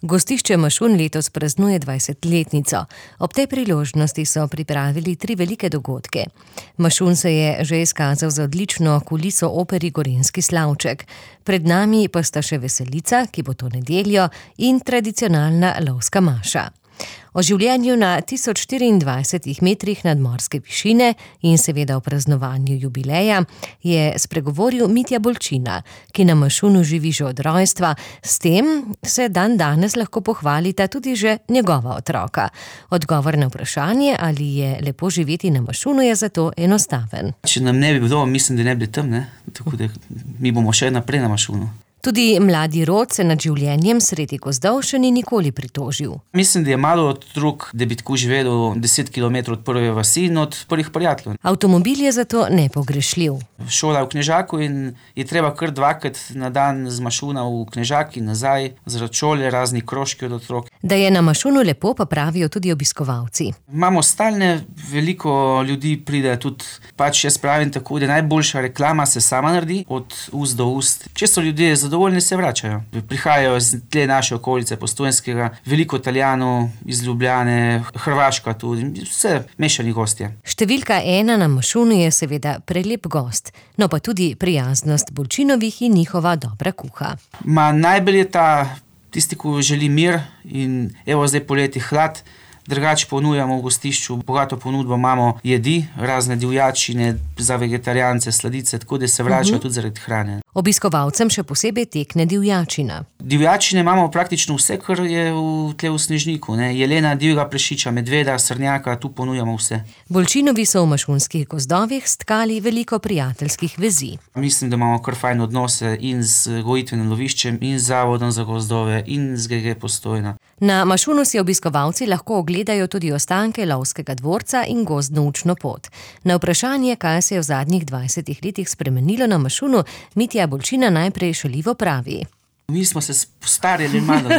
Gostišče Mašun letos praznuje 20-letnico. Ob tej priložnosti so pripravili 3 velike dogodke. Mašun se je že izkazal za odlično kuliso operi Gorenjski slavček. Pred nami pa sta še veselica, ki bo to nedeljo, in tradicionalna lovska maša. O življenju na 1024 metrih nadmorske višine in seveda o praznovanju jubileja je spregovoril Mitja Bolčina, ki na Mašunu živi že od rojstva. S tem se danes lahko pohvalita tudi že njegova otroka. Odgovor na vprašanje, ali je lepo živeti na Mašunu, je zato enostaven. Če nam ne bi bilo, mislim, da ne bi tam, tako da mi bomo še naprej na Mašunu. Tudi mladi rod se nad življenjem sredi gozdov še ni nikoli pritožil. Mislim, da je malo otrok, da bi tako živelo 10 kilometrov od prve vasi in od prvih prijateljev. Avtomobil je zato nepogrešljiv. Šola v Knežaku in je treba kar 2-krat na dan z Mašuna v Knežak in nazaj, zaradi šole, razni krožki od otrok. Da je na Mašunu lepo, pa pravijo tudi obiskovalci. Imamo stalne, veliko ljudi pride tudi, jaz pravim tako, da najboljša reklama se sama naredi, od ust do ust. Če so ljudje zadovoljni, se vračajo. Prihajajo iz tle naše okolice, Postojnskega, veliko Italijanov iz Ljubljane, Hrvaška tudi, vse mešani gostje. Številka 1 na Mašunu je seveda prelep gost, no pa tudi prijaznost Bolčinovih in njihova dobra kuha. Najbolj je tisti, ko želi mir in zdaj poleti hlad. Drugače ponujamo v gostišču, bogato ponudbo imamo jedi, razne divjačine za vegetarijance, sladice, tako da se vračajo tudi zaradi hrane. Obiskovalcem še posebej tekne divjačina. Divjačine imamo praktično vse, kar je tle v Snežniku. Jelena, divjega prašiča, medveda, srnjaka, tu ponujamo vse. Bolčinovi so v mašunskih gozdovih stkali veliko prijateljskih vezi. Mislim, da imamo kar fajn odnose in z gojitvenim loviščem, in z Zavodom za gozdove, in z GG Postojna. Na Mašunu si obiskovalci lahko ogledajo tudi ostanke lovskega dvorca in gozdno učno pot. Na vprašanje, kaj se je v zadnjih 20 letih spremenilo na Mašunu, Mitja Bolčina najprej šaljivo pravi. Mi smo se postarili malo,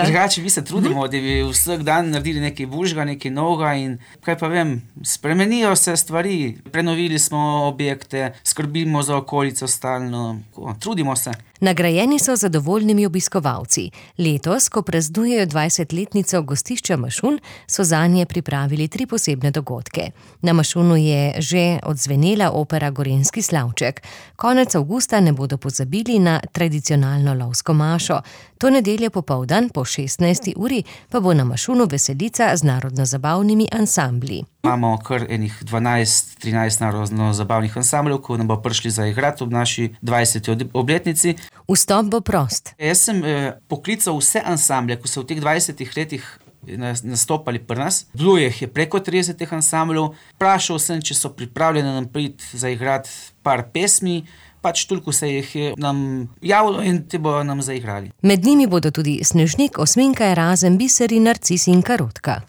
Drugače mi se trudimo, da bi vsak dan naredili nekaj boljšega, nekaj novega in kaj pa vem, spremenijo se stvari. Prenovili smo objekte, skrbimo za okolico stalno, trudimo se. Nagrajeni so zadovoljnimi obiskovalci. Letos, ko praznujejo 20-letnico gostišča Mašun, so zanje pripravili 3 posebne dogodke. Na Mašunu je že odzvenela opera Gorenjski slavček. Konec avgusta ne bodo pozabili na tradicionalno lovsko mašo. To nedeljo popoldan po 16. uri pa bo na Mašunu veselica z narodno-zabavnimi ansambli. Imamo kar 12-13 narodno-zabavnih ansambljev, ko nam bo prišli zaigrati ob naši 20. obletnici. Vstop bo prost. Jaz sem poklical vse ansamblje, ko so v teh 20 letih nastopali pri nas. Bilo je preko 30 ansambljev. Vprašal sem, če so pripravljeni nam priti zaigrati par pesmi. Toliko se jih je nam javilo in te bodo nam zaigrali. Med njimi bodo tudi Snežnik, Osminka, Erazem, Biser in Narcis in Karotka.